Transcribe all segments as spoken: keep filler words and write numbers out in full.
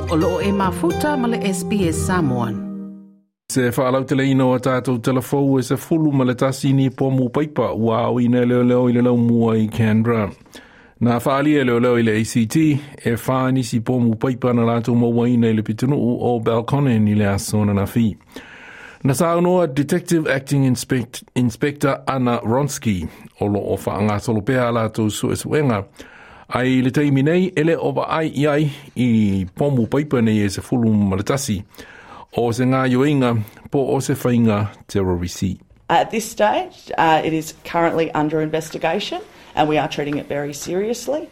O loo e mafuta ma le S B S Samoan. Se whaalauteleina o tātou telefou e se fulu ma le tasini pomu paipa ua au ina leo leo i le lau mua i Canberra. Nā whaalia leo leo i le A C T e whānisi pomu paipa na lātou mauaina i le pitunuu o Belconnen i le asona na fi. Na saunoa Detective Acting Inspect, Inspector Anna Wronski o lo o whaangasolo pea lātou suesuenga. Ai le taimi nei ele o vaai i ai i pomu paipa nei e se fulu ma le tasi. O se ngā yoinga, po o se whainga terrorisi. At this stage, uh, it is currently under investigation and we are treating it very seriously,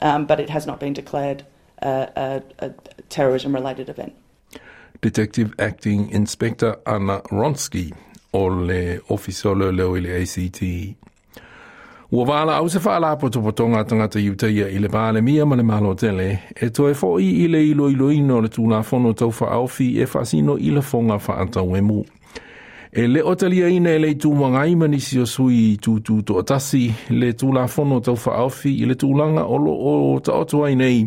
um, but it has not been declared a, a, a terrorism-related event. Detective Acting Inspector Anna Wronski o le Office o Leo i le A C T. Ua wāla au se whaala potopotonga tangata iutaia i le vāle mia ma le malo tele, e toe fo i i le ilo ilo ino le tūlafono tau whaofi e whaasino i le fonga whaatau e mu. E le o talia ina e le tūmangai manisi o sui tūtū to'atasi le tūlafono tau whaofi i le tūlanga o lo o taoto ai nei.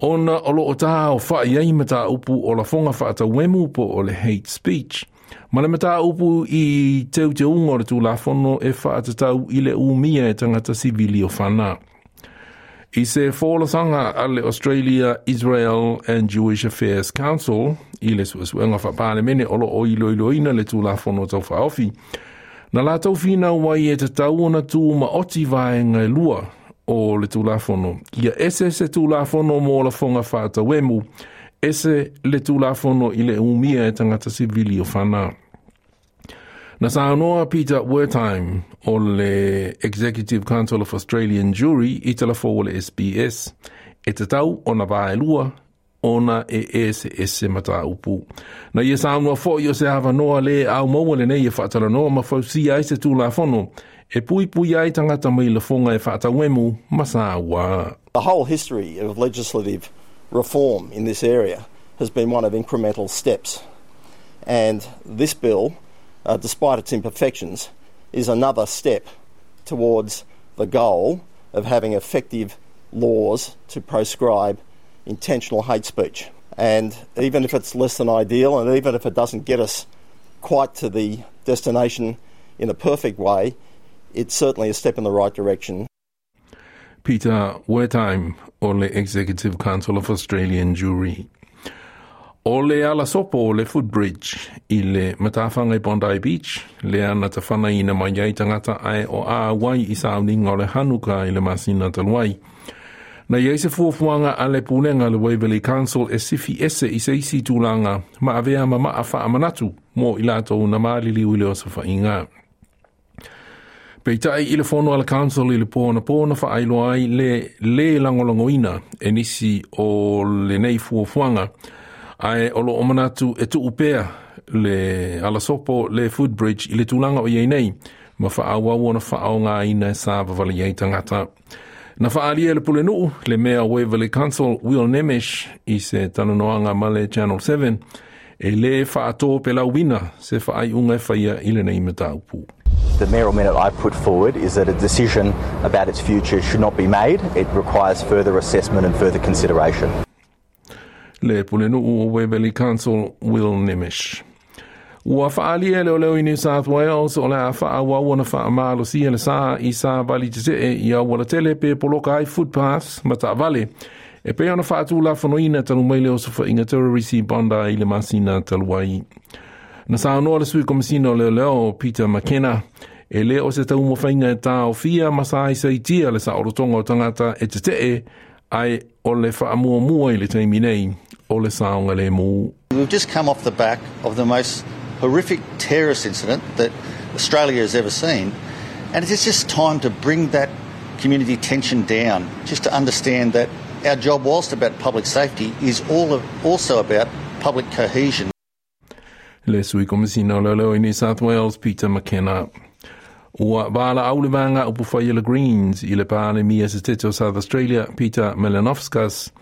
Ona o lo o tā o whaai ai mata upu o la fonga whaatau e mu po o le hate speech. Ma le mata upu i teu te ungo le tūlafono e whaatatau i le umia e tangata sivili o whana. I se fōlasanga a le Australia, Israel and Jewish Affairs Council i le suesuenga whapalemene o lo o iloiloina le tūlafono tau whaofi. Na lātou whina wai e te tau ona tū ma oti vaenga e lua o le tūlafono. Ia ese se tūlafono mō la fonga whaatawemu, ese le tūlafono i le umia e tangata sivili o whana. Na saunoa Peter Wertheim o le Executive Council of Australian Jewry i telefo o le S B S. E te tau o na vaelua ona e ese ese mata upu. Na ia saunoa fo i o se awanoa le au maua le nei e whaatalanoa ma fausia ai se tūlafono e pui pui ai tangata mai le fonga e whaatawemu masawa. The whole history of legislative reform in this area has been one of incremental steps. And this bill, uh, despite its imperfections, is another step towards the goal of having effective laws to proscribe intentional hate speech. And even if it's less than ideal, and even if it doesn't get us quite to the destination in a perfect way, it's certainly a step in the right direction. Peter Wertheim o le Executive Council of Australian Jewry. O le ala sopo o le footbridge i le matawhanga i Bondi Beach, le ana te whana ina mai ai tangata ai o a wai i sauninga o le Hanuka i le masina taluai. Na iei se fuafuanga a le pulenga le Waverley Council e sifi ese i se isi tūlanga ma avea ma maa whaamanatu mō i lātou na maalili ui le o sa whainga. Peitai i le fono a le council i le pōna pōna whaailoa ai le le langolangoina e nisi o le nei fuafuanga ai o lo o manatu e tuupea le alasopo le footbridge i le tūlanga o iei nei ma whaawau ona whaao ina e sa vavali ai tangata. Na whaalia le pulenuu le mea Waverley Council Will Nemesh i se talanoanga ma le Channel seven e le whaatō pe lauina se whaai unga e whaia i le nei mataupu. The mayoral minute I've put forward is that a decision about its future should not be made. It requires further assessment and further consideration. Le pulenuu o Waverley Council Will Nemesh. Ua whaalia leo leo i New South Wales o le a whaawau na whaamalosia le sa i sa vali te te e i awala tele pe poloka ai footpaths ma taavale. E pe ona whaatū whanoina talu mai leo sa whainga terrorisi Bondi i le masina taluai. Na saunoa le sui komisina o leo leo Peter McKenna e le o se tau mawhainga e tā o fia masa ai saitia le sa orotonga o tangata e te te ai o le whaamuamua i le taimi nei o le saonga le mū. We've just come off the back of the most horrific terrorist incident that Australia has ever seen, and it's just time to bring that community tension down, just to understand that our job, whilst about public safety, is all of, also about public cohesion. Le sui komisina o leo leo i New South Wales, Peter McKenna. Ua wāla au le vanga upu whai le Greens i le pāle mia se tete o South Australia, Peter Melanovskas,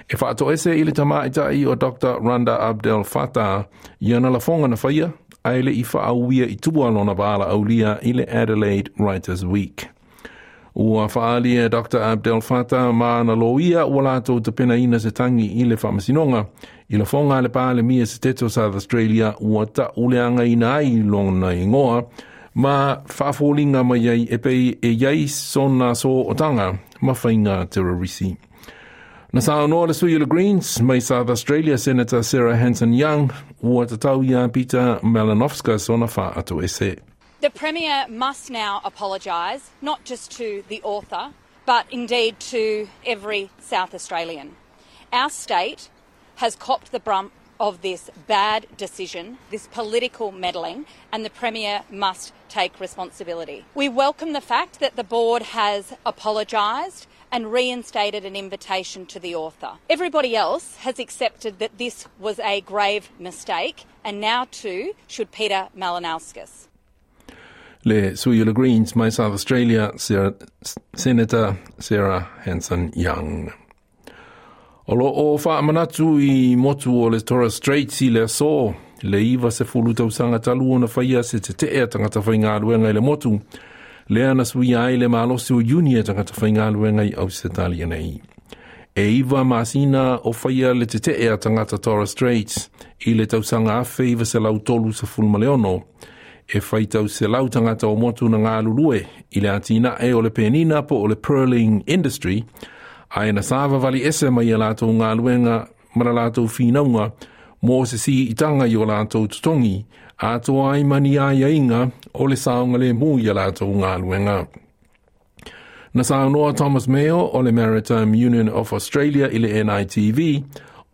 e whaato ese i le tamaitai o Doctor Randa Abdel Fattah i ana la fonga na whaia, ai le i whaauia i tua lona wāla aulia i le Adelaide Writers Week. Ua whaali e Doctor Abdel Fattah ma na loia ua lātou te pena ina se tangi i le whaamasinoga. I la fonga le pāle mia se teto South Australia ua ta uleanga ina ai lona ingoa ma whaafolinga mai ai e pei e iai sona so otanga ma whainga terrorisi. Na sa noa le sui o le Greens mai South Australia Senator Sarah Hanson-Young ua tatau ia Peter Malinauskas ona wha ese. The Premier must now apologise, not just to the author, but indeed to every South Australian. Our state has copped the brunt of this bad decision, this political meddling, and the Premier must take responsibility. We welcome the fact that the board has apologised and reinstated an invitation to the author. Everybody else has accepted that this was a grave mistake, and now too should Peter Malinauskas. Le sui o le Greens mai South Australia, Sarah, Senator Sarah Hanson-Young. O lo o whaamanatu i motu o le Torres Straits i le aso, le iwa se fulu tausanga talu ona whaia se te tea tangata whaingaluenga i le motu, lea na sui ai le malosi o Iuni e tangata whaingaluenga i Ausetalia nei. E iwa masina o whaia le te tea tangata Torres Straits i le tausanga awhe iwa se lau tolu sa fulmaleono, e whaitau se lau tangata o motu na ngā lulue i le atina e o le penina po o le pearling industry, ai na sava vali ese mai a lātou ngā luenga mara lātou whinaunga mō se si itanga i o lātou tutongi, a toa ai mani ai ainga o le saunga le mū i a lātou ngā luenga. Na saunoa Thomas Mayo o le Maritime Union of Australia i le N I T V,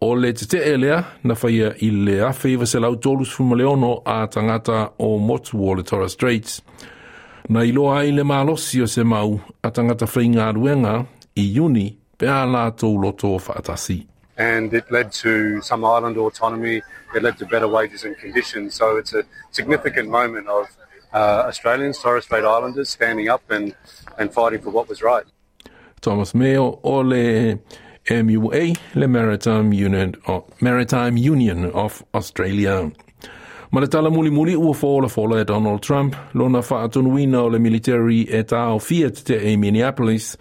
o le te te elea na whaia i le awheiwa se lau tolu sfumaleono a tangata o motu o le Torres Straits. Na iloa ai le malosi o se mau a tangata whainga ruenga i Iuni pe a lātou loto o whaatasi. And it led to some island autonomy, it led to better wages and conditions. So it's a significant moment of uh, Australians, Torres Strait Islanders, standing up and, and fighting for what was right. Thomas Mayo o le M U A, le Maritime Union, Maritime Union of Australia. Ma le tala muli muli ua fola fola e Donald Trump, lona whaatunuina o le military e tāo Fiat te e Minneapolis,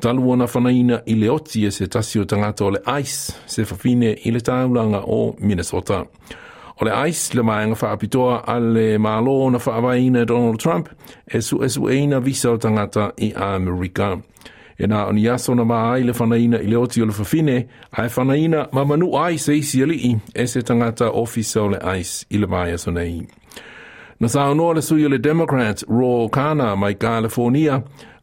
talu ona whanaina i le oti e se tasi o tangata o le ICE, se whawhine i le tāulanga o Minnesota. O le ICE, le maenga whaapitoa a le mālo na whaavaina Donald Trump, e su e su eina visa o tangata i Amerika. E nā oni aso na maa le whanaina i le oti o le whawhine, a e whanaina ma manu ai se isi alii e se tangata ofisa o le ICE i le mai aso nei. Na saunoa le sui o le Democrat Ro Khanna mai California,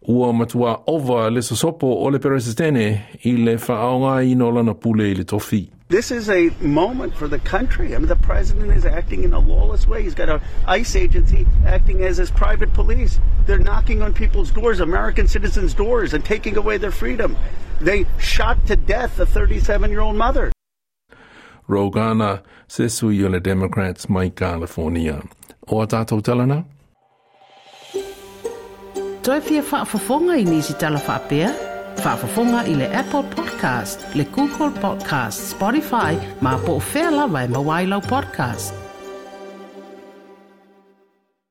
ua matua ova le sosopo o le peresitene i le whaaonga i no lana pule i le tofi. This is a moment for the country. I mean, the president is acting in a lawless way. He's got an ICE agency acting as his private police. They're knocking on people's doors, American citizens' doors, and taking away their freedom. They shot to death a thirty-seven-year-old mother. Ro Khanna, se sui o le Democrats mai California. O a tātou talana? Toi fia whaafafonga i nisi tala whaapea? Whaafafonga i le Apple Podcast, le Google Podcast, Spotify, ma po o whea lawa e mawailau podcast.